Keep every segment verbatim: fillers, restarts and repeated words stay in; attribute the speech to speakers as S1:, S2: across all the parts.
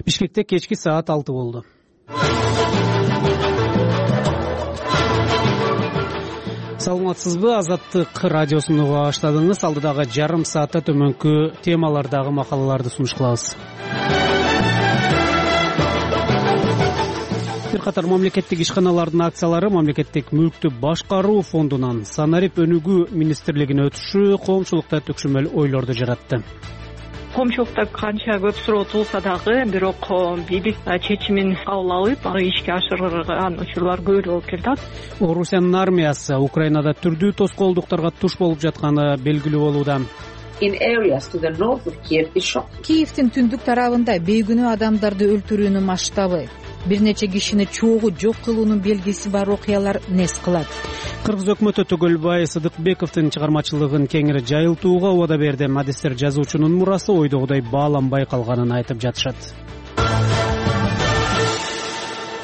S1: Бишкекте кечки саат алты болду. Саламатсызбы? Азаттык радиосун уга баштадыңыз. Алдыдагы жарым саатта төмөнкү темалардагы макалаларды сунуш кылабыз. Бир катар мамлекеттик ишканалардын акциялары мамлекеттик мүлктү башкаруу фондунан санарип өнүгүү министрлигине өтүшү коомчулукта төкшөмөл ойлорду жаратты.
S2: Коомчулукта канча көп суроо туулса дагы, бирок бийлик чечимин кабыл алып, аны ишке ашырган учурлар көп болуп келатат.
S1: Орусиянын армиясы Украинада түрдүү тоскоолдуктарга туш болуп жатканы белгилүү болууда.
S3: Киевдин түндүк тарабында бейгүнөө адамдарды өлтүрүүнүн масштабы, бир нече кишини чогуу жок кылуунун белгиси бар окуялар нес кылат.
S1: Кыргыз өкмөтү Түгөлбай Сыдыкбековдун чыгармачылыгын кеңири жайылтууга убада берди. Адистер жазуучунун мурасы ойдогудай бааланбай калганын айтып жатышат.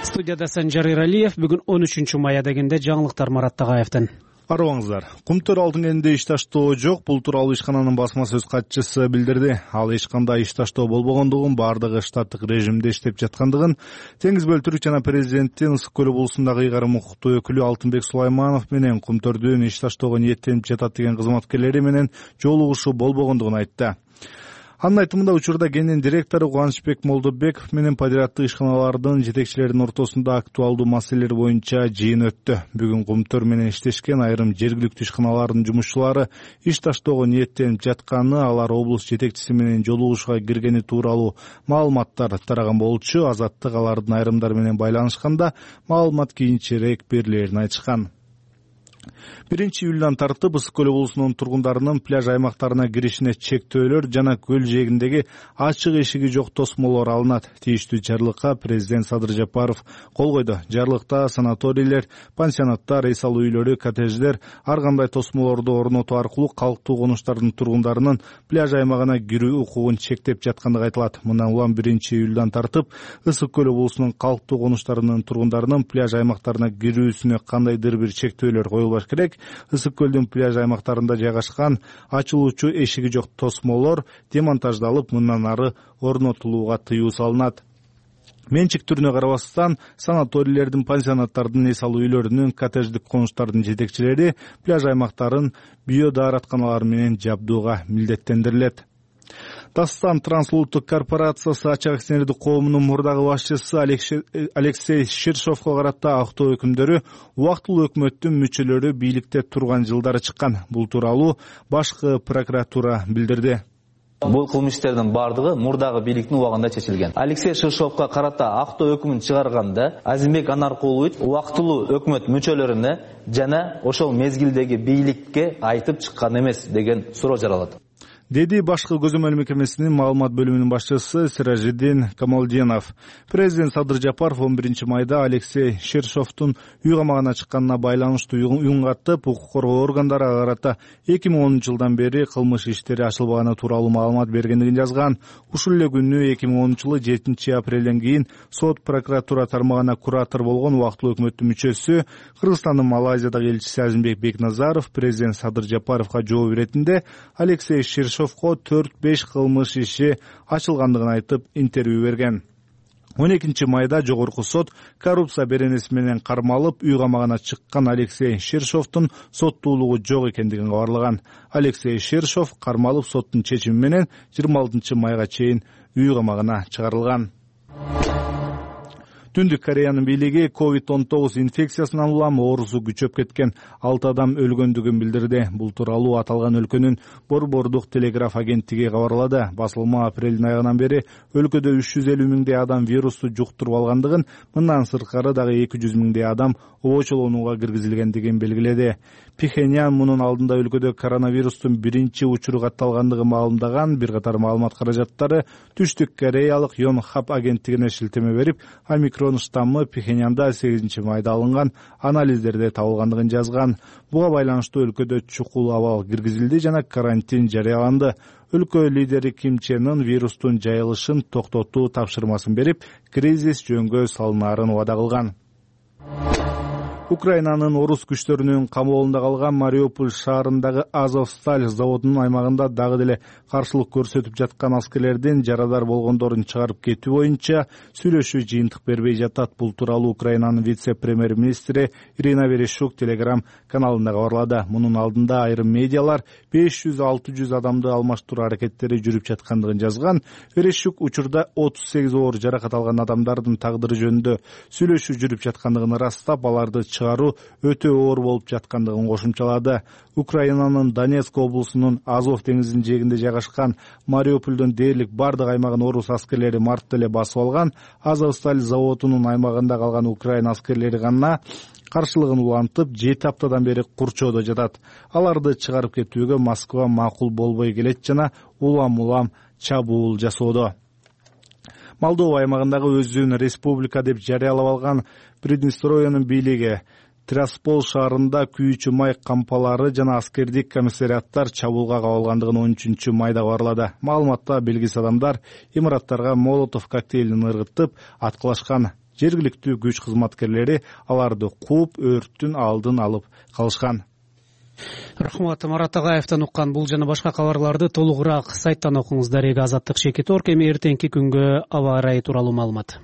S1: Студияда Санжар Иралиев. Бүгүн он үчүнчү май дегенде жаңылыктар Марат Тагаевден.
S4: Арыбаңыздар. Кумтөр алдын кенде иш таштоо жок. Бул тууралуу ишкананын басма сөз катчысы билдирди. Ал эч кандай иш таштоо болбогондугун, баардыгы штаттык режимде иштеп жаткандыгын, Теңиз бөлтүрүк жана президенттин Ысык көл облусундагы ыйгарым укуктуу өкүлү Алтынбек Сулайманов менен кумтөрдүн иш таштоого ниеттенип жатат деген кызматкерлери менен жолугушуу болбогондугун айтты. Анын айтымында учурда кенин директору Кубанычбек Молдобеков менен подряддык ишканалардын жетекчилеринин ортосунда актуалдуу маселелер боюнча жыйын өттү. Бүгүн кумтөр менен иштешкен айрым жергиликтүү ишканалардын жумушчулары иш таштоого ниеттенип жатканы, алар облус жетекчиси менен жолугушууга киргени тууралуу маалыматтар тараган болчу. Азаттык алардын айрымдары менен байланышканда маалымат кийинчерээк берилерин айтышкан. биринчи июлдан тартып Ысык көл облусунун тургундарынын пляж аймактарына киришине чектөөлөр жана көл жээгиндеги ачык эшиги жок тосмолор алынат. Тийиштүү жарлыкка президент Садыр Жапаров кол койду. Жарлыкта санаторийлер, пансионаттар, эс алуу үйлөрү, коттедждер ар кандай тосмолорду орнотуу аркылуу калктуу конуштардын тургундарынын пляж аймагына кирүү укугун чектеп жаткандыгы айтылат. Мындан улам биринчи июлдан тартып Ысык көл облусунун калктуу конуштарынын тургундарынын пляж аймактарына кирүүсүнө кандайдыр бир чектөөлөр коюлбаш керек. Ысык көлдүн пляж аймактарында жайгашкан ачылуучу эшиги жок тосмолор демонтаждалып, мындан ары орнотулууга тыюу салынат. Менчик түрүнө карабастан санаторийлердин, пансионаттардын, эс алуу үйлөрүнүн, коттедждик конуштардын жетекчилери пляж аймактарын биодааратканалар менен жабдууга милдеттендирилет. Дастан Трансулуттук корпорациясы ачык акционердик коомунун мурдагы башчысы Алексей Ширшовго карата актоо өкүмдөрү убактылуу өкмөттүн мүчөлөрү бийликте турган жылдары чыккан. Бул тууралуу башкы прокуратура билдирди.
S5: Бул кылмыштардын бардыгы мурдагы бийликтин убагында чечилген. Алексей Ширшовго карата актоо өкүмүн чыгарганда Азимбек Анаркулович убактылуу өкмөт мүчөлөрүнө жана ошол мезгилдеги бийликке айтып чыккан эмес деген суроо жаралат, деди башкы көзөмөл мекемесинин маалымат бөлүмүнүн башчысы Сиражиддин Камалдинов. Президент Садыр Жапаров он биринчи майда Алексей Ширшовдун үй камагына чыкканына байланыштуу үн катып, укук коргоо органдары ага карата эки миң онунчу жылдан бери кылмыш иштери ачылбаганы тууралуу маалымат бергендигин жазган. Ушул эле күнү эки миң онунчу жылы жетинчи апрелден кийин сот прокуратура тармагына куратор болгон убактылуу өкмөттүн мүчөсү, Кыргызстандын Малайзиядагы элчиси Азимбек Бекназаров президент Садыр Жапаровго жооп иретинде Алексей Ширшов төрт беш кылмыш иши ачылгандыгын айтып интервью берген. он экинчи майда жогорку сот коррупция беренеси менен кармалып, үй камагына чыккан Алексей Ширшовдун соттуулугу жок экендигин кабарлаган. Алексей Ширшов кармалып соттун чечими менен жыйырма алтынчы майга чейин үй камагына чыгарылган. Түндүк Кореянын бийлиги ковид он тогуз инфекциясынан улам оорусу күчөп кеткен алты адам өлгөндүгүн билдирди. Бул тууралуу аталган өлкөнүн Борбордук телеграф агенттиги кабарлады. Басылма апрелдин айынан бери өлкөдө үч жүз элүү миңдей адам вирусту жуктуруп алгандыгын, мындан сырткары дагы эки жүз миңдей адам обочолонууга киргизилгендигин белгиледи. Пхеньян мунун алдында өлкөдө коронавирустун биринчи учуру катталгандыгын маалымдаган. Бир катар маалымат каражаттары Түштүк Кореялык Йонхап агенттигине шилтеме берип, омикрон штаммы Пхеньянда сегизинчи майда алынган анализдерде табылгандыгын жазган. Буга байланыштуу өлкөдө чукул абал киргизилди жана карантин жарыяланды. Өлкө лидери Ким Чен Ын вирустун жайылышын токтотуу тапшырмасын берип, кризис жөнгө салынаарын убада кылган.
S4: Украинанын орус күчтөрүнүн камоолунда калган Мариуполь шаарындагы Азовсталь заводунун аймагында дагы деле каршылык көрсөтүп жаткан аскерлердин жарадар болгондорун чыгарып кетүү боюнча сүйлөшүү жыйынтык бербей жатат. Бул тууралуу Украинанын вице-премьер-министри Ирина Верещук Телеграм каналында кабарлады. Мунун алдында айрым медиалар беш жүз алты жүз адамды алмаштыруу аракеттери жүрүп жаткандыгын жазган. Верещук учурда отуз сегиз оор жаракат алган адамдардын тагдыры жөнүндө сүйлөшүү жүрүп жаткандыгын ырастап, аларды чыгаруу өтө оор болуп жаткандыгын кошумчалады. Украинанын Донецк облусунун Азов деңизинин жээгинде жайгашкан Мариупольдун дээрлик бардык аймагын орус аскерлери мартта эле басып алган. Азовсталь заводунун аймагында калган Украина аскерлери гана каршылыгын улантып, жети аптадан бери курчоодо жатат. Аларды чыгарып кетүүгө Москва макул болбой келет жана улам-улам чабуул жасоодо. Молдова аймагындагы өзүн республика деп жарыялап алган Приднестровиянын бийлиги Тирасполь шаарында күйүүчү май кампалары жана аскердик комиссариаттар чабуулга кабылгандыгын он үчүнчү майда кабарлады. Маалыматта белгисиз адамдар имараттарга молотов коктейлин ыргытып аткылашкан. Жергиликтүү күч кызматкерлери аларды кууп, өрттүн алдын алып калышкан.
S1: Рахмат. Марат Агаевден уккан бул жана башка кабарларды толугураак сайттан окуңуз. Дарега Азаттык Шекетор. Эми эртеңки күнгө аба ырайы тууралуу маалымат.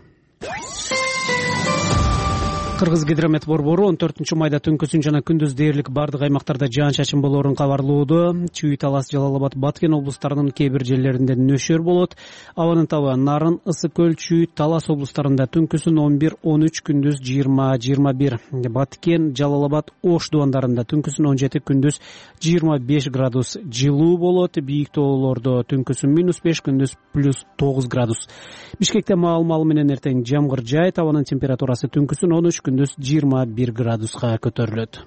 S1: Кыргыз гидромет борбору он төртүнчү майда түнкүсүн жана күндүз дээрлик бардык аймактарда жаан-чачын болоорун кабарлоодо. Чүй, Талас, Жалал абад, Баткен облустарынын кээ бир жерлеринде нөшөр болот. Абанын табы Нарын, Ысык көл, Чүй, Талас облустарында түнкүсүн он бир он үч, күндүз жыйырма жыйырма бир. Баткен, Жалал абад, Ош дубандарында түнкүсүн он жети, күндүз жыйырма беш градус жылуу болот. Бийик тоолордо түнкүсүн минус беш, күндүз плюс тогуз градус. Бишкекте маал-маалы менен эртең жамгыр жаайт. Абанын температурасы түнкүсүн он үч, күндүз жыйырма бир градуска көтөрүлөт.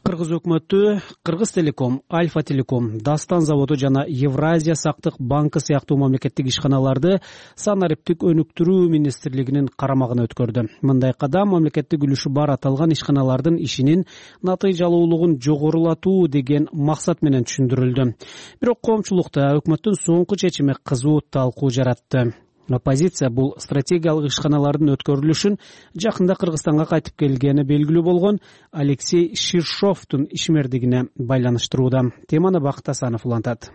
S1: Кыргыз өкмөтү Кыргыз Телеком, Альфа Телеком, Дастан заводу жана Евразия сактык банкы сыяктуу мамлекеттик ишканаларды санариптик өнүктүрүү министрлигинин карамагына өткөрдү. Мындай кадам мамлекеттик үлүшү бар аталган ишканалардын ишинин натыйжалуулугун жогорулатуу деген максат менен түшүндүрүлдү. Бирок коомчулукта өкмөттүн соңку чечими кызуу талкуу жаратты. Оппозиция бул стратегиялык ишканалардын өткөрүлүшүн жакында Кыргызстанга кайтып келгени белгилүү болгон Алексей Ширшовдун ишмердигине байланыштырууда. Теманы Бакыт Асанов улантат.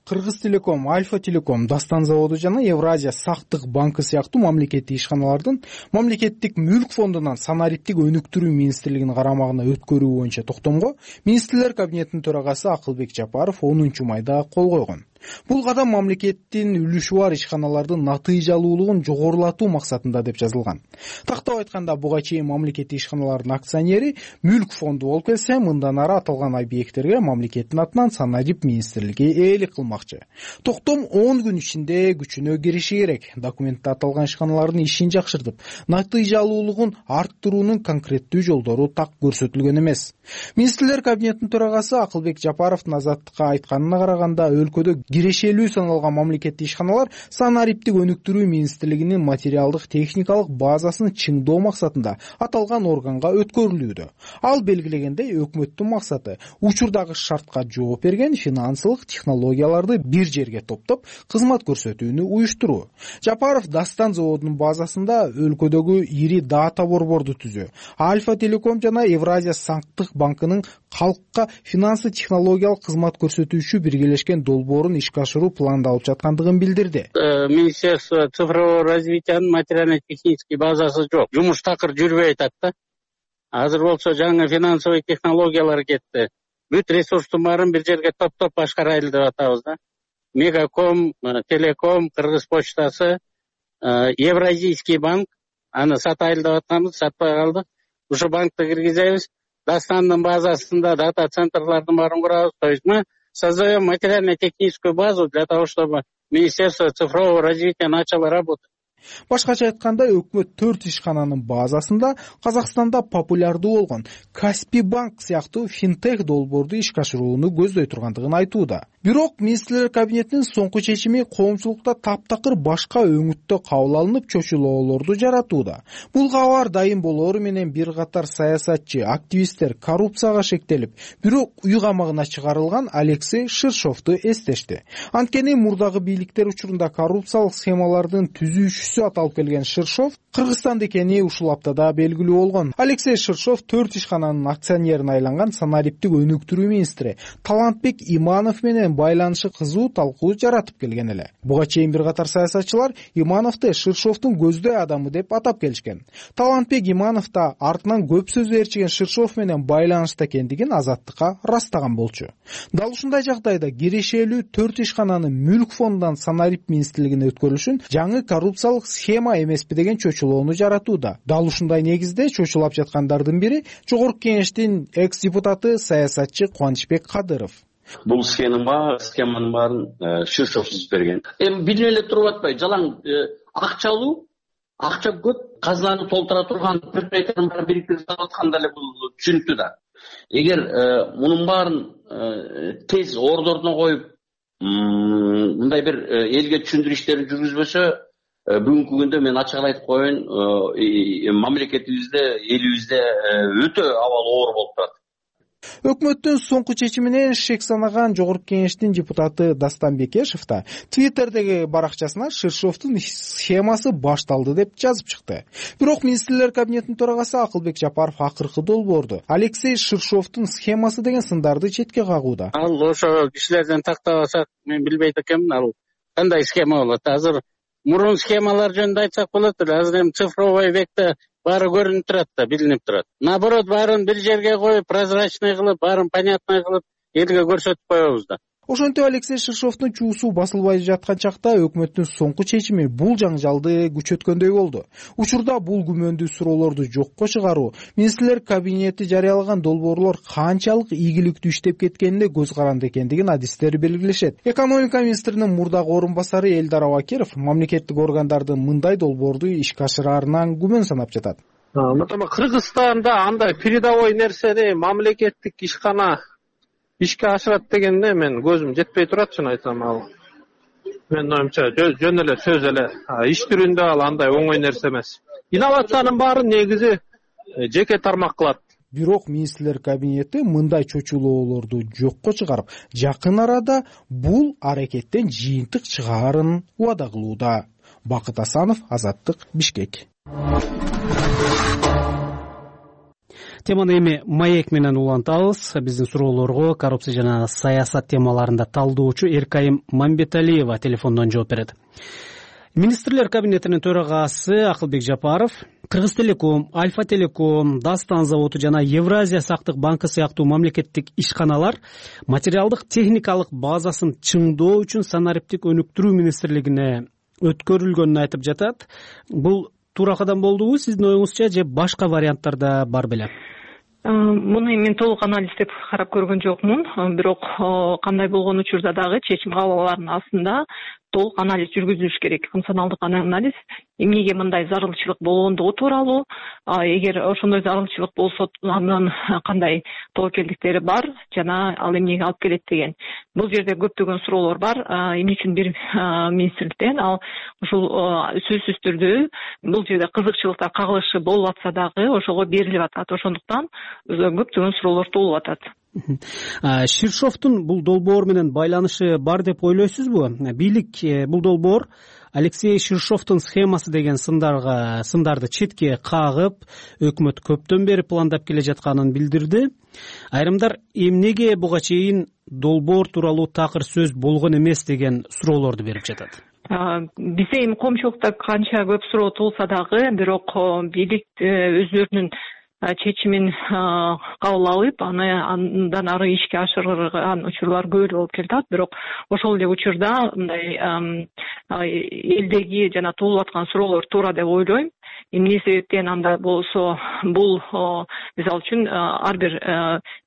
S6: Кыргыз Телеком, Альфа Телеком, Дастан заводу жана Евразия сактык банкы сыяктуу мамлекеттик ишканалардын мамлекеттик мүлк фондунан санариптик өнүктүрүү министрлигинин карамагына өткөрүү боюнча токтомго министрлер кабинетинин төрагасы Акылбек Жапаров онунчу майда кол койгон. Бул кадам мамлекеттин үлүшү бар ишканалардын натыйжалуулугун жогорулатуу максатында деп жазылган. Тактап айтканда, буга чейин мамлекеттик ишканалардын акционери мүлк фонду болуп келсе, мындан ары аталган объекттерге мамлекеттин атынан санарип министрлиги ээлик кылмакчы. Токтом он күн ичинде күчүнө кириши керек. Документте аталган ишканалардын ишин жакшыртып, натыйжалуулугун арттыруунун конкреттүү жолдору так көрсөтүлгөн эмес. Министрлер кабинетинин төрагасы Акылбек Жапаровдун Азаттыкка айтканына караганда, өлкөдө кирешелүү саналган мамлекеттик ишканалар санариптик өнүктүрүү министрлигинин материалдык техникалык базасын чыңдоо максатында аталган органга өткөрүлүүдө. Ал белгилегендей, өкмөттүн максаты учурдагы шартка жооп берген финансылык технологияларды бир жерге топтоп, кызмат көрсөтүүнү уюштуруу. Жапаров Дастан заводунун базасында өлкөдөгү ири дата борборду түзүү, Альфа Телеком жана Евразия сактык банкынын калкка финансы технологиялык кызмат көрсөтүүчү биргелешкен долбоорун ишке ашыруу пландалып жаткандыгын билдирди.
S7: Министерство цифрового развитиянын материально-технический базасы жок. Жумуш такыр жүрбөй атат да. Азыр болсо жаңы финансовый технологиялар кетти. Бүт ресурстун баарын бир жерге топтоп башкарайлы деп атабыз да. Мегаком, Телеком, Кыргыз почтасы, Евразийский банк, аны сатайлы деп атканбыз, сатпай калдык. Ушу банкты киргизебиз. Дастандын базасында дата центрлардын баарын курабыз. То есть мы создаем материально-техническую базу для того, чтобы Министерство цифрового развития начало работать.
S6: Башкача айтканда, өкмөт төрт ишкананын базасында Казакстанда популярдуу болгон Каспий банк сыяктуу финтех долбоорду ишке ашырууну көздөй тургандыгын айтууда. Бирок министрлер кабинетинин соңку чечими коомчулукта таптакыр башка өңүттө кабыл алынып, чочулоолорду жаратууда. Бул кабар дайым болоору менен бир катар саясатчы, активисттер коррупцияга шектелип, бирок үй камагына чыгарылган Алексей Ширшовду эстешти. Анткени мурдагы бийликтер учурунда коррупциялык схемалардын түзүүчүсү жетекчиси аталып келген Ширшов Кыргызстанда экени ушул аптада белгилүү болгон. Алексей Ширшов төрт ишкананын акционерине айланган санариптик өнүктүрүү министри Талантбек Иманов менен байланышы кызуу талкуу жаратып келген эле. Буга чейин бир катар саясатчылар Имановду Ширшовдун көздөй адамы деп атап келишкен. Талантбек Иманов да артынан көп сөз ээрчиген Ширшов менен байланышта экендигин Азаттыкка ырастаган болчу. Дал ушундай жагдайда кирешелүү төрт ишкананын мүлк фондунан санарип министрлигине өткөрүлүшүн жаңы коррупциялык схема эмеспи деген чочулоону жаратууда. Дал ушундай негизде чочулап жаткандардын бири Жогорку Кеңештин экс депутаты саясатчы Кубанычбек Кадыров.
S8: Бул схема схеманын баарын Ширшов түзүп берген. Эми билип эле туруп атпайбы, жалаң акча алуу, акча көп, казынаны толтура турган предприятиянын баарын бириктирип атканда эле бул түшүнүктүү да. Эгер мунун баарын тез ордоруна коюп, мындай бир элге түшүндүрүү иштерин жүргүзбөсө, бүгүнкү күндө мен ачык эле айтып коеюн, мамлекетибизде, элибизде өтө абал оор болуп турат.
S6: Өкмөттүн соңку чечиминен шек санаган Жогорку Кеңештин депутаты Дастан Бекешев да Твиттердеги баракчасына Ширшовдун схемасы башталды деп жазып чыкты. Бирок министрлер кабинетинин төрагасы Акылбек Жапаров акыркы долбоорду Алексей Ширшовдун схемасы деген сындарды четке кагууда.
S7: Ал ошо кишилерден тактабасак, мен билбейт экенмин, ал кандай схема болот. Азыр мурун схемалар жөнүндө айтсак болот эле. Азыр эми цифровой векте баары көрүнүп турат да, билинип турат. Наоборот, баарын бир жерге коюп, прозрачный кылып, баарын понятный кылып, элге көрсөтүп коебуз да.
S6: Ошентип Алексей Ширшовдун чуусу басылбай жаткан чакта өкмөттүн соңку чечими бул жаңжалды күчөткөндөй болду. Учурда бул күмөндүү суроолорду жокко чыгаруу, министрлер кабинети жарыялаган долбоорлор канчалык ийгиликтүү иштеп кеткенине көз каранды экендигин адистер белгилешет. Экономика министринин мурдагы орун басары Элдар Абакиров мамлекеттик органдардын мындай долбоорду ишке ашыраарынан күмөн санап жатат.
S9: Кыргызстанда андай передовой нерсени мамлекеттик ишкана ишке ашырат дегенде мен көзүм жетпей турат, чын айтсам. Ал мен оюмча жөн эле сөз эле, иш түрүндө ал андай оңой нерсе эмес. Инновациянын баарын негизи жеке тармак кылат.
S6: Бирок министрлер кабинети мындай чочулоолорду жокко чыгарып, жакын арада бул аракеттен жыйынтык чыгаарын убада кылууда. Бакыт Асанов, Азаттык, Бишкек.
S1: Теманы эми маек менен улантабыз. Биздин суроолорго коррупция жана саясат темаларында талдоочу Эркайым Мамбеталиева телефондон жооп берет. Министрлер кабинетинин төрагасы Акылбек Жапаров Кыргыз Телеком, Альфа Телеком, Дастан заводу жана Евразия сактык банкы сыяктуу мамлекеттик ишканалар материалдык техникалык базасын чыңдоо үчүн санариптик өнүктүрүү министрлигине өткөрүлгөнүн айтып жатат. Бул туура кадам болдубу сиздин оюңузча, же башка варианттарда бар беле?
S2: Муну мен толук анализдеп карап көргөн жокмун, бирок кандай болгон учурда дагы чечим кабыл алаардын астында толук анализ жүргүзүлүш керек, функционалдык анализ, эмнеге мындай зарылчылык болгондугу тууралуу, эгер ошондой зарылчылык болсо андан кандай тобокелдиктери бар жана ал эмнеге алып келет деген. Бул жерде көптөгөн суроолор бар. Эмне үчүн бир министрликтен ал ушул сөзсүз түрдө бул жерде кызыкчылыктар кагылышы болуп атса дагы ошого берилип атат. Ошондуктан көптөгөн суроолор туулуп атат.
S1: Ширшовдун бул долбоор менен байланышы бар деп ойлойсузбу? Бийлик бул долбоор Алексей Ширшовдун схемасы деген сындарга сындарды четке кагып, өкмөт көптөн бери пландап келе жатканын билдирди. Айрымдар эмнеге буга чейин долбоор тууралуу такыр сөз болгон эмес деген суроолорду берип жатат.
S2: Бизде эми коомчулукта канча көп суроо туулса дагы, бирок бийлик өздөрүнүн чечимин кабыл алып, аны андан ары ишке ашырган учурлар көп болуп келатат. Бирок ошол эле учурда мындай элдеги жана туулуп аткан суроолор туура деп ойлойм. Эмне себептен анда болсо бул мисалы үчүн ар бир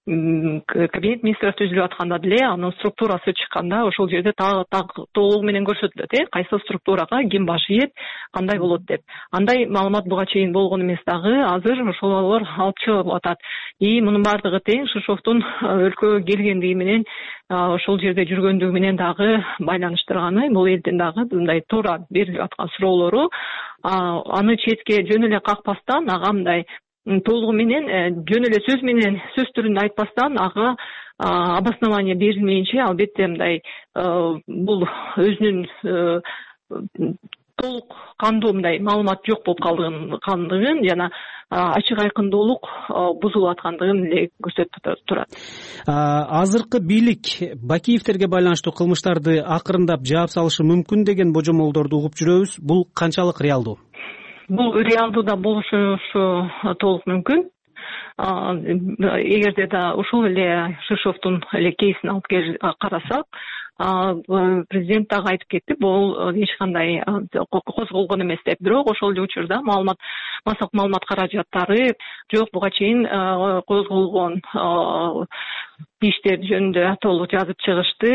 S2: кабинет министрлер түзүлүп атканда деле анын структурасы чыкканда ошол жерде так толугу менен көрсөтүлөт, э кайсы структурага ким баш ийет, кандай болот деп. Андай маалымат буга чейин болгон эмес дагы, азыр ошолор алып чыгылып атат. И мунун баардыгы тең Ширшовдун өлкөгө келгендиги менен, ошол жерде жүргөндүгү менен дагы байланыштырганы, бул элдин дагы мындай туура берилип аткан суроолору, аны четке жөн эле какпастан, ага мындай толугу менен жөн эле сөз менен сөз түрүндө айтпастан, ага обоснование берилмейинче, албетте мындай бул өзүнүн толук кандуу мындай маалымат жок болуп калгандыгын жана ачык айкындуулук бузулуп аткандыгын эле көрсөтүп турат.
S1: Азыркы бийлик Бакиевтерге байланыштуу кылмыштарды акырындап жаап салышы мүмкүн деген божомолдорду угуп жүрөбүз. Бул канчалык реалдуу?
S2: Бул реалдуу да болушу толук мүмкүн. Эгерде да ушул эле Шишовдун эле кейсин алып карасак, президент дагы айтып кетти, бул эч кандай козголгон эмес деп. Бирок ошол эле учурда маалымат массалык маалымат каражаттары жок, буга чейин козголгон иштер жөнүндө толук жазып чыгышты.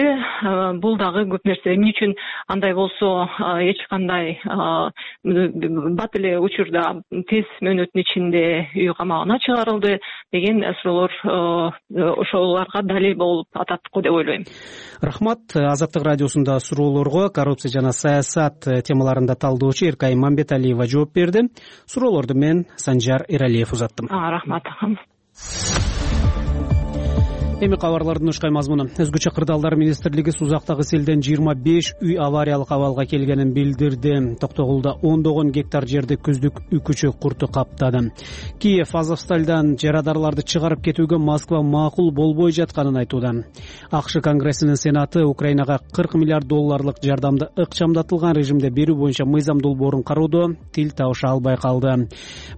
S2: Бул дагы көп нерсе. Эмне үчүн андай болсо эч кандай бат эле учурда тез мөөнөттүн ичинде үй камагына чыгарылды деген суроолор ошолорго далил болуп атат го деп ойлойм.
S1: Рахмат. Азаттык радиосунда суроолорго коррупция жана саясат темаларында талдоочу Эркай Мамбеталиева жооп берди. Суроолорду мен Санжар Эралиев узаттым.
S2: Рахмат.
S1: Эми кабарлардын ушкай мазмуну. Өзгөчө кырдаалдар министрлиги Сузактагы селден жыйырма беш үй авариялык абалга келгенин билдирди. Токтогулда ондогон гектар жерди күздүк үкүчү курту каптады. Киев Азовстальдан жарадарларды чыгарып кетүүгө Москва макул болбой жатканын айтууда. АКШ Конгрессинин Сенаты Украинага кырк миллиард долларлык жардамды ыкчамдатылган режимде берүү боюнча мыйзам долбоорун кароодо тил табыша албай калды.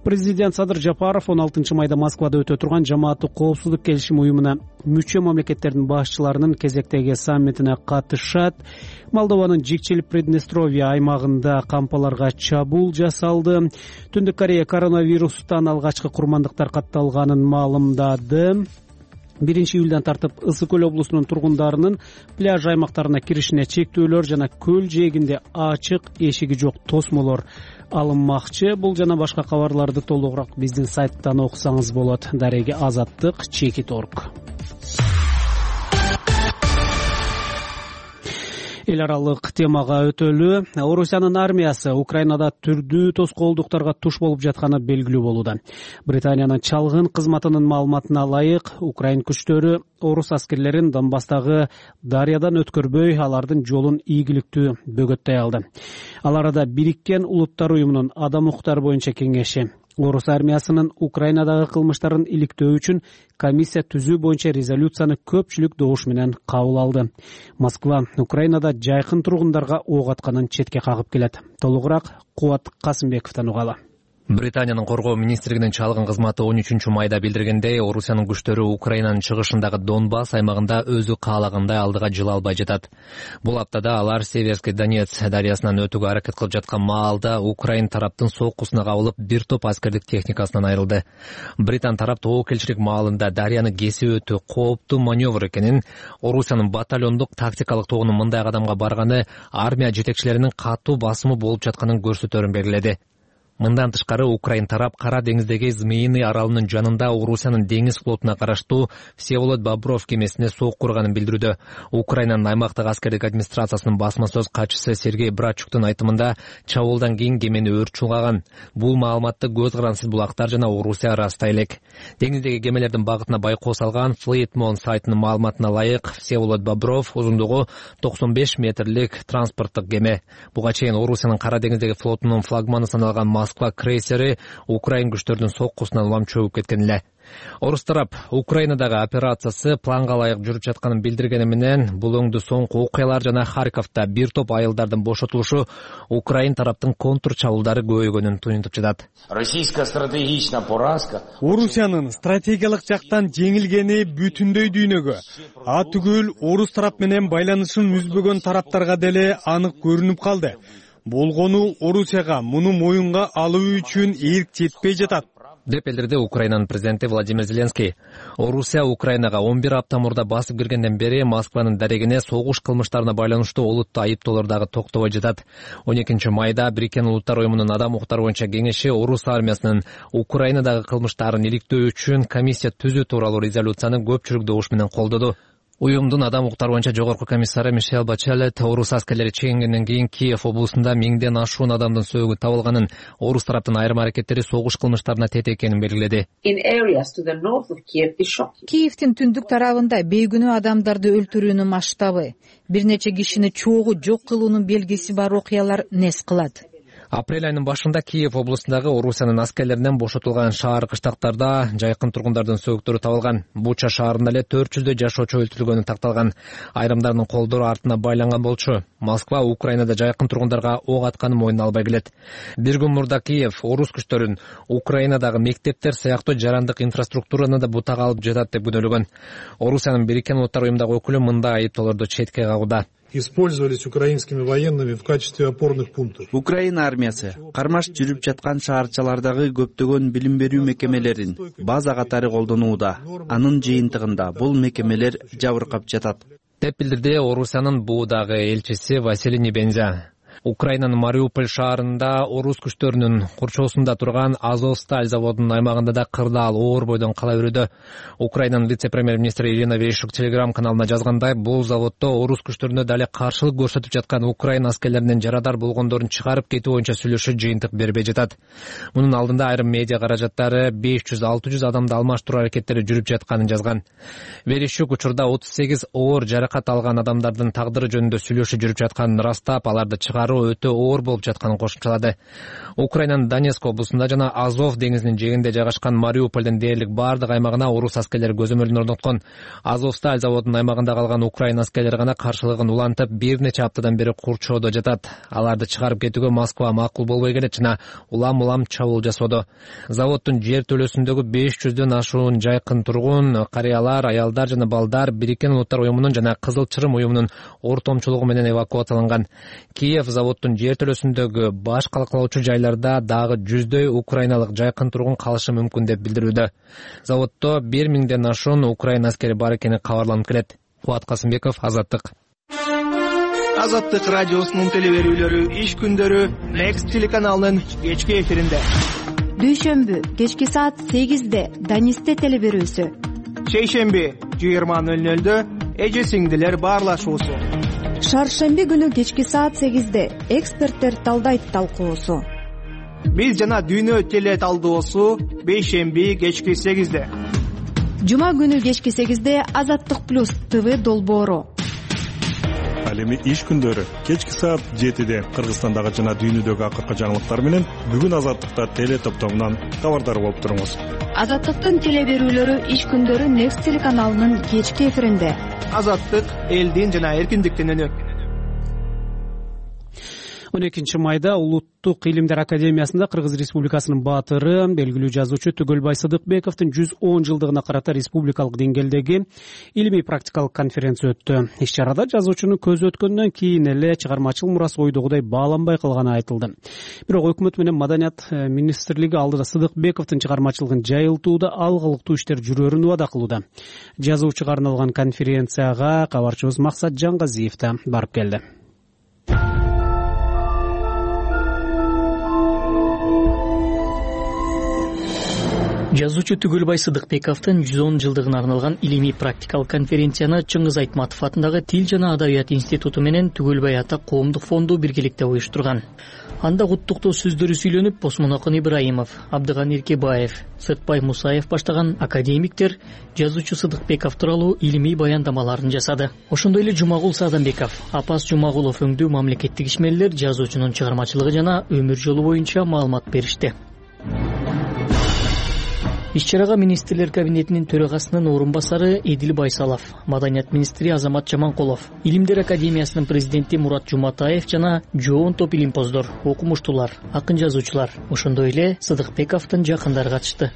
S1: Президент Садыр Жапаров он алтынчы майда Москвада өтө турган Жамааттык коопсуздук келишим уюмуна мүчө мамлекеттердин башчыларынын кезектеги саммитине катышат. Молдованын Жикчил Приднестровье аймагында кампаларга чабуул жасалды. Түндүк Корея коронавирустан алгачкы курмандыктар катталганын маалымдады. биринчи июлдан тартып Ысык көл облусунун тургундарынын пляж аймактарына киришине чектөөлөр жана көл жээгинде ачык эшиги жок тосмолор алынмакчы. Бул жана башка кабарларды толугураак биздин сайттан окусаңыз болот. Дареги азаттык чекит точка орг. Эл аралык темага өтөлү. Орусиянын армиясы Украинада түрдүү тоскоолдуктарга туш болуп жатканы белгилүү болууда. Британиянын чалгын кызматынын маалыматына ылайык, Украин күчтөрү орус аскерлерин Донбасстагы дарыядан өткөрбөй, алардын жолун ийгиликтүү бөгөттөй алды. Ал арада Бириккен Улуттар уюмунун адам укуктары боюнча кеңеши Орус армиясынын Украинадагы кылмыштарын иликтөө үчүн комиссия түзүү боюнча резолюцияны көпчүлүк добуш менен кабыл алды. Москва Украинада жайкын тургундарга ок атканын четке кагып келет. Толугураак Кубат Касымбековдон угалы.
S10: Британиянын коргоо министрлигинин чалгын кызматы он үчүнчү майда билдиргендей, Орусиянын күчтөрү Украинанын чыгышындагы Донбасс аймагында өзү каалагандай алдыга жыла албай жатат. Бул аптада алар Северский Донец дарыясынан өтүүгө аракет кылып жаткан маалда Украин тараптын соккусуна кабылып, бир топ аскердик техникасынан айрылды. Британ тарап тобокелчилик маалында дарыяны кесип өтүү кооптуу маневр экенин, Орусиянын батальондук тактикалык тобунун мындай кадамга барганы армия жетекчилеринин катуу басымы болуп жатканын көрсөтөрүн белгиледи. Мындан тышкары Украин тарап Кара деңиздеги Змеиный аралынын жанында Орусиянын деңиз флотуна караштуу Всеволод Бобров кемесине сок курганын билдирүүдө. Украинанын аймактык аскердик администрациясынын басма сөз катчысы Сергей Брачуктун айтымында, чабуулдан кийин кемени өрт чулгаган. Бул маалыматты көз карансыз булактар жана Орусия растай элек. Деңиздеги кемелердин багытына байкоо салган Fleetmon сайтынын маалыматына ылайык, Всеволод Бобров узундугу токсон беш метрлик транспорттук кеме. Буга чейин Орусиянын Кара деңиздеги флотунун флагманы саналган Москва крейсери Украин күчтөрүнүн соккусунан улам чөгүп кеткен эле. Орус тарап Украинадагы операциясы планга ылайык жүрүп жатканын билдиргени менен, бул өңдү соңку окуялар жана Харьковдо бир топ айылдардын бошотулушу Украин тараптын контур чабуулдары көбөйгөнүн туюнтуп жатат.
S11: Российская стратегичная поразка.
S12: Орусиянын стратегиялык жактан жеңилгени бүтүндөй дүйнөгө, а түгүл орус тарап менен байланышын үзбөгөн тараптарга деле анык көрүнүп калды. Болгону Орусияга муну моюнга алуу үчүн ийрик жетпей жатат,
S10: деп билдирди Украинанын президенти Владимир Зеленский. Орусия Украинага он бир апта мурда басып киргенден бери Москванын дарегине согуш кылмыштарына байланыштуу олуттуу айыптоолор дагы токтобой жатат. он экинчи майда Бириккен Улуттар уюмунун адам укуктары боюнча кеңеши орус армиясынын Украинадагы кылмыштарын иликтөө үчүн комиссия түзүү тууралуу резолюцияны көпчүлүк добуш менен колдоду. Уюмдун адам укуктары боюнча жогорку комиссары Мишель Бачелет орус аскерлери чегингенден кийин Киев облусунда миңден ашуун адамдын сөөгү табылганын, орус тараптын айрым аракеттери согуш кылмыштарына тете экенин белгиледи.
S3: Киевдин түндүк тарабында бейгүнөө адамдарды өлтүрүүнүн масштабы, бир нече кишини чогуу жок кылуунун белгиси бар окуялар нес кылат.
S10: Апрель айынын башында Киев облусундагы Орусиянын аскерлеринен бошотулган шаар кыштактарда жайкын тургундардын сөөктөрү табылган. Буча шаарында эле төрт жүздөй жашоочу өлтүрүлгөнү такталган. Айрымдарынын колдору артына байланган болчу. Москва Украинада жайкын тургундарга ок атканын мойнуна албай келет. Бир күн мурда Киев орус күчтөрүн Украинадагы мектептер сыяктуу жарандык инфраструктураны да бутага алып жатат деп күнөөлөгөн. Орусиянын Бириккен Улуттар уюмундагы өкүлү мындай айыптоолорду четке кагууда.
S13: Использовались украинскими военными в качестве опорных пунктов.
S14: Украина армиясы кармаш жүрүп жаткан шаарчалардагы көптөгөн билим берүү мекемелерин база катары колдонууда. Анын жыйынтыгында бул мекемелер жабыркап жатат,
S10: деп билдирди Орусиянын буудагы элчиси Василий Небензя. Украинанын Мариуполь шаарында орус күчтөрүнүн курчоосунда турган Азовсталь заводунун аймагында да кырдаал оор бойдон кала берүүдө. Украинанын вице-премьер-министри Ирина Верещук телеграм каналына жазгандай, бул заводдо орус күчтөрүнө дале каршылык көрсөтүп жаткан Украина аскерлеринин жарадар болгондорун чыгарып кетүү боюнча сүйлөшүү жыйынтык бербей жатат. Мунун алдында айрым медиа каражаттары беш жүз алты жүз адамды алмаштыруу аракеттери жүрүп жатканын жазган. Верещук учурда отуз сегиз оор жаракат алган адамдардын тагдыры жөнүндө сүйлөшүү жүрүп жатканын ырастап, аларды чыгаруу өтө оор болуп жатканын кошумчалады. Украинанын Донецк облусунда жана Азов деңизинин жээгинде жайгашкан Мариупольдун дээрлик бардык аймагына орус аскерлери көзөмөлүн орноткон. Азовсталь заводунун аймагында калган Украина аскерлери гана каршылыгын улантып, бир нече аптадан бери курчоодо жатат. Аларды чыгарып кетүүгө Москва макул болбой келет жана улам-улам чабуул жасоодо. Заводдун жер төлөсүндөгү беш жүздөн ашуун жайкын тургун, карыялар, аялдар жана балдар Бириккен Улуттар уюмунун жана Кызыл Чырым уюмунун ортомчулугу менен эвакуацияланган. Киев заводдун жер төлөсүндөгү баш калкалоочу жайларда дагы жүздөй украиналык жайкын тургун калышы мүмкүн деп билдирүүдө. Заводдо бир миңден ашуун украина аскери бар экени кабарланып келет. Кубат Касымбеков, Азаттык.
S15: Азаттык радиосунун телеберүүлөрү иш күндөрү Next телеканалынын кечки эфиринде.
S16: Дүйшөмбү кечки саат сегизде Данисте телеберүүсү.
S15: Шейшемби жыйырма нөл нөлдө эже сиңдилер баарлашуусу.
S16: Шаршемби күнү кечки саат сегизде эксперттер талдайт талкуусу.
S15: Биз жана дүйнө теле талдоосу бейшемби кечки сегизде.
S16: Жума күнү кечки сегизде Азаттык плюс ТВ долбоору.
S13: Ал эми иш күндөрү кечки саат жетиде Кыргызстандагы жана дүйнөдөгү акыркы жаңылыктар менен бүгүн Азаттыкта теле топтомунан кабардар болуп туруңуз.
S16: Азаттыктын телеберүүлөрү иш күндөрү Next телеканалынын кечки эфиринде.
S15: Азаттык элдин жана эркиндиктин үнү.
S1: он экинчи майда Улуттук илимдер академиясында Кыргыз Республикасынын баатыры, белгилүү жазуучу Түгөлбай Сыдыкбековдун жүз он жылдыгына карата республикалык деңгээлдеги илимий практикалык конференция өттү. Иш-чарада жазуучунун көзү өткөндөн кийин эле чыгармачыл мурасы ойдогудай бааланбай калганы айтылды. Бирок өкмөт менен Маданият министрлиги алдыда Сыдыкбековдун чыгармачылыгын жайылтууда алгылыктуу иштер жүрөрүн убада кылууда. Жазуучуга арналган конференцияга кабарчыбыз Максат Жангазиев да барып келди.
S17: Жазуучу Түгөлбай Сыдыкбековдун жүз он жылдыгына арналган илимий практикалык конференцияны Чыңгыз Айтматов атындагы Тил жана Адабият институту менен Түгөлбай ата коомдук фонду биргеликте уюштурган. Анда куттуктоо сөздөрү сүйлөнүп, Осмонакын Ибраимов, Абдыган Иркебаев, Сыртбай Мусаев баштаган академиктер жазуучу Сыдыкбеков тууралуу илимий баяндамаларын жасады. Ошондой эле Жумагул Садамбеков, Апас Жумагулов өңдүү мамлекеттик ишмерлер жазуучунун чыгармачылыгы жана өмүр жолу боюнча маалымат беришти. Иш-чарага министрлер кабинетинин төрагасынын орун басары Эдил Байсалов, Маданият министри Азамат Жаманкулов, Илимдер академиясынын президенти Мурат Жуматаев жана жоон топ илимпоздор, окумуштуулар, акын жазуучулар, ошондой эле Сыдыкбековдун жакындары катышты.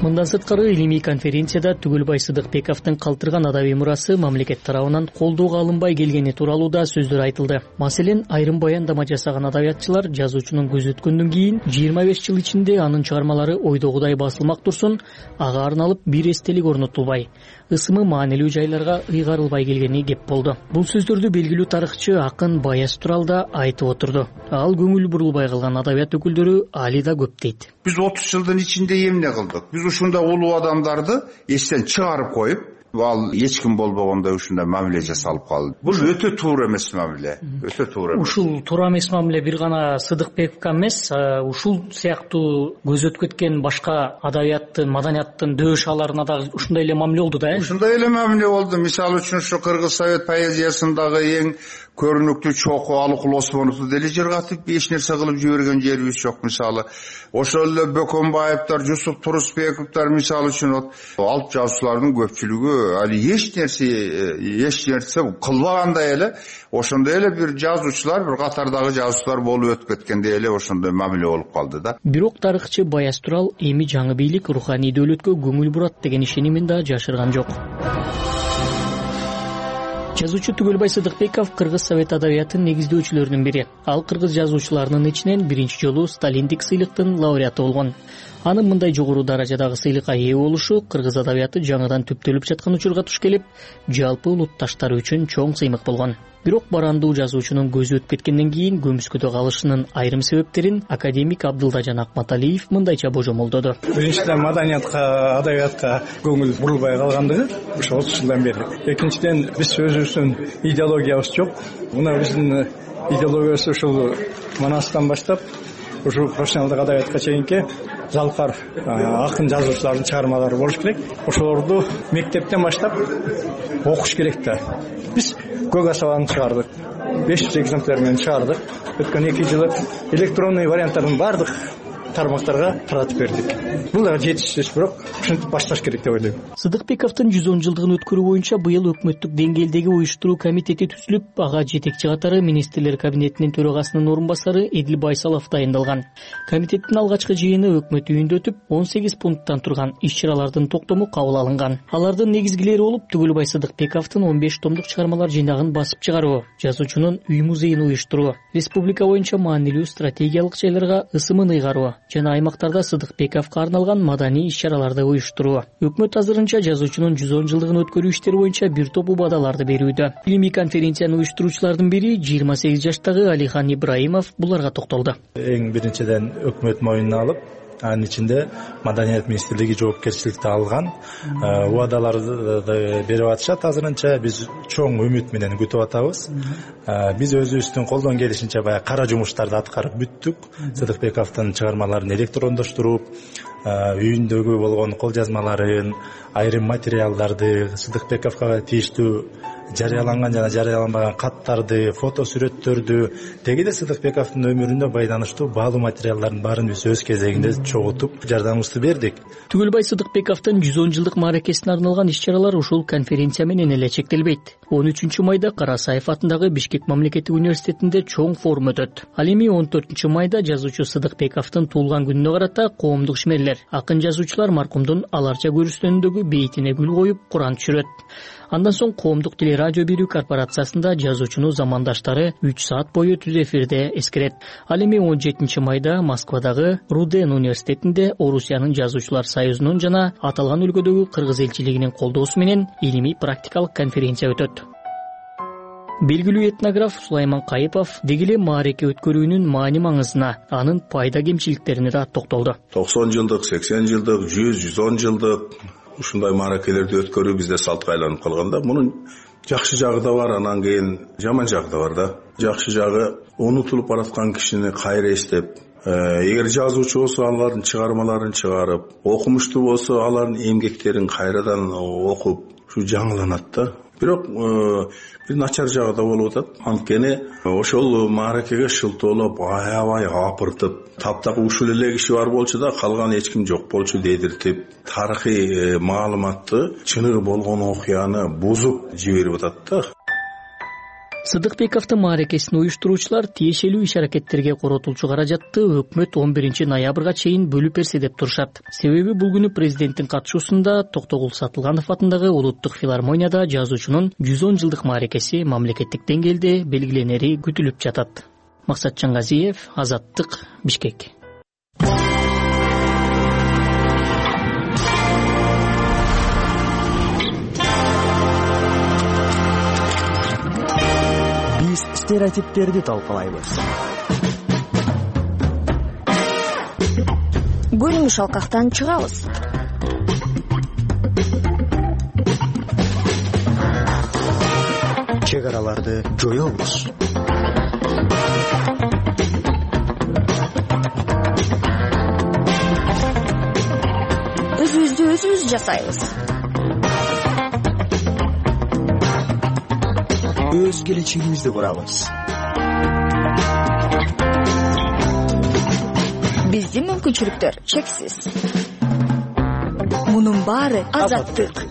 S17: Мындан сырткары илимий конференцияда Түгөлбай Сыдыкбековдун калтырган адабий мурасы мамлекет тарабынан колдоого алынбай келгени тууралуу да сөздөр айтылды. Маселен, айрым баяндама жасаган адабиятчылар жазуучунун көзү өткөндөн кийин жыйырма беш жыл ичинде анын чыгармалары ойдогудай басылмак турсун, ага арналып бир эстелик орнотулбай, ысымы маанилүү жайларга ыйгарылбай келгени кеп болду. Бул сөздөрдү белгилүү тарыхчы акын Баяз Турал да айтып отурду. Ал көңүл бурулбай калган адабият өкүлдөрү али да көп дейт.
S18: Биз отуз жылдын ичинде эмне кылдык? Биз ушундай улуу адамдарды эстен чыгарып коюп, ал эч ким болбогондой ушундай мамиле жасалып калды. Бул өтө туура эмес мамиле, өтө туура.
S17: Ушул туура эмес мамиле бир гана Сыдыкбековго эмес, ушул сыяктуу көзөтүп кеткен башка адабияттын, маданияттын дөшаларына дагы ушундай эле мамиле болду да.
S18: Ушундай эле мамиле болду. Мисалы үчүн ушу Кыргыз совет поэзиясындагы эң көрүнүктүү чоку Алыкул Осмоновду деле жыргатып эч нерсе кылып жиберген жерибиз жок. Мисалы ошол эле Бөкөнбаевдер, Жусуп Турусбековдор мисалы үчүн алып жазуучулардын көпчүлүгү али эч нерсе эч нерсе кылбагандай эле ошондой эле бир жазуучулар, бир катардагы жазуучулар болуп өтүп кеткендей эле ошондой мамиле болуп калды да.
S17: Бирок тарыхчы Баяз Турал эми жаңы бийлик руханий дөөлөткө көңүл бурат деген ишенимин да жашырган жок. Жазуучу Түгөлбай Сыдыкбеков Кыргыз совет адабиятынын негиздөөчүлөрүнүн бири. Ал кыргыз жазуучуларынын ичинен биринчи жолу Сталиндик сыйлыктын лауреаты болгон. Анын мындай жогору даражадагы сыйлыкка ээ болушу кыргыз адабияты жаңыдан түптөлүп жаткан учурга туш келип, жалпы улутташтары үчүн чоң сыймык болгон. Бирок барандуу жазуучунун көзү өтүп кеткенден кийин көмүскөдө калышынын айрым себептерин академик Абдылдажан Акматалиев мындайча божомолдоду.
S19: Биринчиден маданиятка, адабиятка көңүл бурулбай калгандыгы ошо отуз жылдан бери. Экинчиден биз өзүбүздүн идеологиябыз жок. Мына биздин идеологиябыз ушул Манастан баштап ушу профессионалдык адабиятка чейинки залкар акын жазуучулардын чыгармалары болуш керек. Ошолорду мектептен баштап окуш керек да. Биз көк асабаны чыгардык, беш жүз экземпляр менен чыгардык. Өткөн эки жылы электронный варианттардын баардык тармактарга таратып бердик. Бул да жетишсиз, бирок ушинтип башташ керек деп ойлойм.
S17: Сыдыкбековдун жүз он жылдыгын өткөрүү боюнча быйыл өкмөттүк деңгээлдеги уюштуруу комитети түзүлүп, ага жетекчи катары министрлер кабинетинин төрагасынын орун басары Эдил Байсалов дайындалган. Комитеттин алгачкы жыйыны өкмөт үйүндө өтүп, он сегиз пункттан турган иш-чаралардын токтому кабыл алынган. Алардын негизгилери болуп, Түгөлбай Сыдыкбековдун он беш томдук чыгармалар жыйнагын басып чыгаруу, жазуучунун үй музейин уюштуруу, республика боюнча маанилүү стратегиялык жайларга ысымын ыйгаруу жана аймактарда Сыдыкбековго арналган маданий иш-чараларды уюштуруу. Өкмөт азырынча жазуучунун жүз он жылдыгын өткөрүү иштери боюнча бир топ убадаларды берүүдө. Илимий конференцияны уюштуруучулардын бири жыйырма сегиз жаштагы Алихан Ибраимов буларга токтолду.
S20: Эң биринчиден өкмөт моюнуна алып, анын ичинде Маданият министрлиги жоопкерчиликти алган убадаларды берип атышат. Азырынча биз чоң үмүт менен күтүп атабыз. Биз өзүбүздүн колдон келишинче баягы кара жумуштарды аткарып бүттүк. Сыдыкбековдун чыгармаларын электрондоштуруп, үйүндөгү болгон кол жазмаларын, айрым материалдарды, Сыдыкбековго тийиштүү жарыяланган жана жарыяланбаган каттарды, фото сүрөттөрдү, тегиде Сыдыкбековдун өмүрүнө байланыштуу баалуу материалдардын баарын биз өз кезегинде чогултуп жардамыбызды бердик.
S17: Түгөлбай Сыдыкбековдун жүз он жылдык мааракесине арналган иш-чаралар ушул конференция менен эле чектелбейт. он үчүнчү майда Карасаев атындагы Бишкек мамлекеттик университетинде чоң форум өтөт. Ал эми он төртүнчү майда жазуучу Сыдыкбековдун туулган күнүнө карата коомдук ишмерлер, акын жазуучулар маркумдун аларча көрүстөнүндөгү бейитине гүл коюп Куран түшүрөт. Андан соң коомдук телерадио берүү корпорациясында жазуучуну замандаштары үч саат бою түз эфирде эскерет. Ал эми он жетинчи майда Москвадагы Руден университетинде Орусиянын жазуучулар союзунун жана аталган өлкөдөгү кыргыз элчилигинин колдоосу менен илимий практикалык конференция өтөт. Белгилүү этнограф Сулайман Кайыпов деги эле маареке өткөрүүнүн маани маңызына, анын пайда кемчиликтерине да токтолду.
S21: токсон жылдык, сексен жылдык, жүз, жүз он жылдык ушундай мааракелерди өткөрүү бизде салтка айланып калган да. Мунун жакшы жагы да бар, анан кийин жаман жагы да бар да. Жакшы жагы унутулуп бараткан кишини кайра эстеп, эгер жазуучу болсо алардын чыгармаларын чыгарып, окумуштуу болсо алардын эмгектерин кайрадан окуп, ушу жаңыланат да. Бирок бир начар жагы да болуп атат. Анткени ошол мааракеге шылтоолоп, аябай апыртып, таптакы ушул эле киши бар болчу да, калган эч ким жок болчу дедиртип, тарыхый маалыматты, чыныгы болгон окуяны бузуп жиберип атат да.
S17: Сыдыкбековдун мааракесин уюштуруучулар тиешелүү иш-аракеттерге коротулчу каражатты өкмөт он биринчи ноябрга чейин бөлүп берсе деп турушат. Себеби бул күнү президенттин катышуусунда Токтогул Сатылганов атындагы улуттук филармонияда жазуучунун жүз он жылдык мааракеси мамлекеттик деңгээлде белгиленери күтүлүп жатат. Максат Чангазиев, Азаттык, Бишкек.
S22: Стереотиптерди талкалайбыз. Көрүнүш алкактан чыгабыз. чек араларды жоебуз.
S4: Өзүбүздү өзүбүз жасайбыз.
S22: Өз келечегибизди курабыз.
S4: Биздин мүмкүнчүлүктөр чексиз. Мунун баары азаттык.